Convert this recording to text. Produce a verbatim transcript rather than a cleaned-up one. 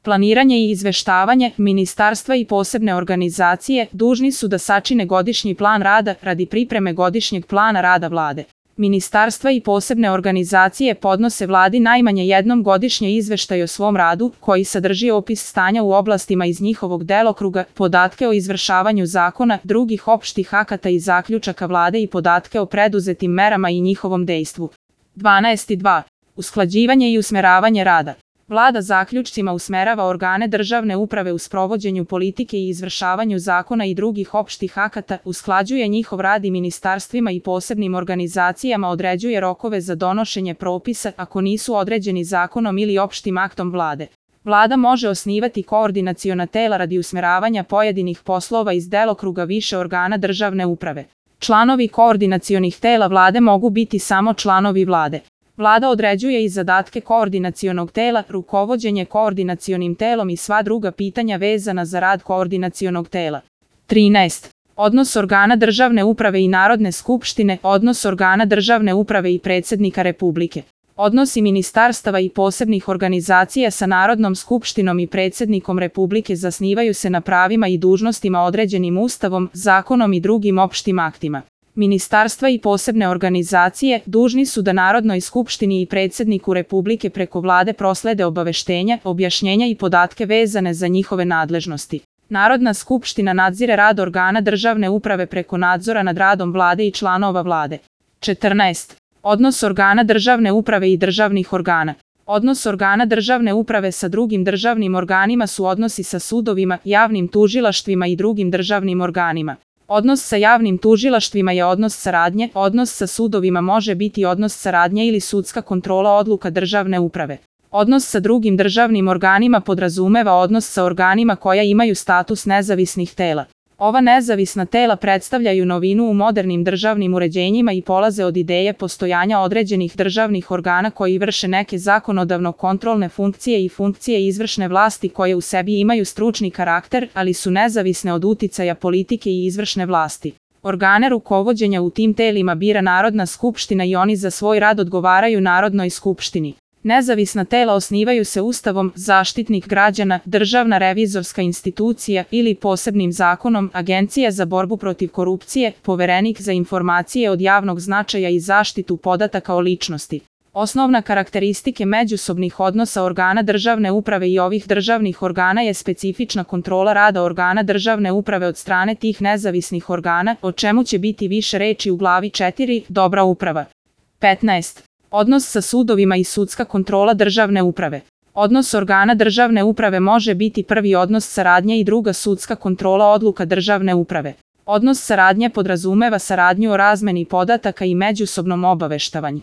Planiranje i izveštavanje. Ministarstva i posebne organizacije dužni su da sačine godišnji plan rada radi pripreme godišnjeg plana rada Vlade. Ministarstva i posebne organizacije podnose Vladi najmanje jednom godišnje izveštaj o svom radu, koji sadrži opis stanja u oblastima iz njihovog delokruga, podatke o izvršavanju zakona, drugih opštih akata i zaključaka Vlade i podatke o preduzetim merama i njihovom dejstvu. dvanaest dva. Usklađivanje i usmeravanje rada. Vlada zaključcima usmerava organe državne uprave u sprovođenju politike i izvršavanju zakona i drugih opštih akata, usklađuje njihov rad i ministarstvima i posebnim organizacijama, određuje rokove za donošenje propisa ako nisu određeni zakonom ili opštim aktom Vlade. Vlada može osnivati koordinaciona tela radi usmeravanja pojedinih poslova iz delokruga više organa državne uprave. Članovi koordinacionih tela Vlade mogu biti samo članovi Vlade. Vlada određuje i zadatke koordinacionog tela, rukovođenje koordinacionim telom i sva druga pitanja vezana za rad koordinacionog tela. trinaest. Odnos organa državne uprave i Narodne skupštine, odnos organa državne uprave i predsjednika Republike. Odnosi ministarstava i posebnih organizacija sa Narodnom skupštinom i predsjednikom Republike zasnivaju se na pravima i dužnostima određenim Ustavom, zakonom i drugim opštim aktima. Ministarstva i posebne organizacije dužni su da Narodnoj skupštini i predsjedniku Republike preko Vlade proslede obaveštenja, objašnjenja i podatke vezane za njihove nadležnosti. Narodna skupština nadzire rad organa državne uprave preko nadzora nad radom Vlade i članova Vlade. četrnaest. Odnos organa državne uprave i državnih organa. Odnos organa državne uprave sa drugim državnim organima su odnosi sa sudovima, javnim tužilaštvima i drugim državnim organima. Odnos sa javnim tužilaštvima je odnos saradnje, odnos sa sudovima može biti odnos saradnje ili sudska kontrola odluka državne uprave. Odnos sa drugim državnim organima podrazumeva odnos sa organima koja imaju status nezavisnih tela. Ova nezavisna tela predstavljaju novinu u modernim državnim uređenjima i polaze od ideje postojanja određenih državnih organa koji vrše neke zakonodavno-kontrolne funkcije i funkcije izvršne vlasti koje u sebi imaju stručni karakter, ali su nezavisne od uticaja politike i izvršne vlasti. Organe rukovođenja u tim telima bira Narodna skupština i oni za svoj rad odgovaraju Narodnoj skupštini. Nezavisna tela osnivaju se Ustavom, Zaštitnik građana, Državna revizorska institucija ili posebnim zakonom, Agencija za borbu protiv korupcije, Poverenik za informacije od javnog značaja i zaštitu podataka o ličnosti. Osnovna karakteristike međusobnih odnosa organa državne uprave i ovih državnih organa je specifična kontrola rada organa državne uprave od strane tih nezavisnih organa, o čemu će biti više reči u glavi četiri, dobra uprava. petnaest. Odnos sa sudovima i sudska kontrola državne uprave. Odnos organa državne uprave može biti prvi odnos saradnje i druga sudska kontrola odluka državne uprave. Odnos saradnje podrazumeva saradnju o razmeni podataka i međusobnom obaveštavanju.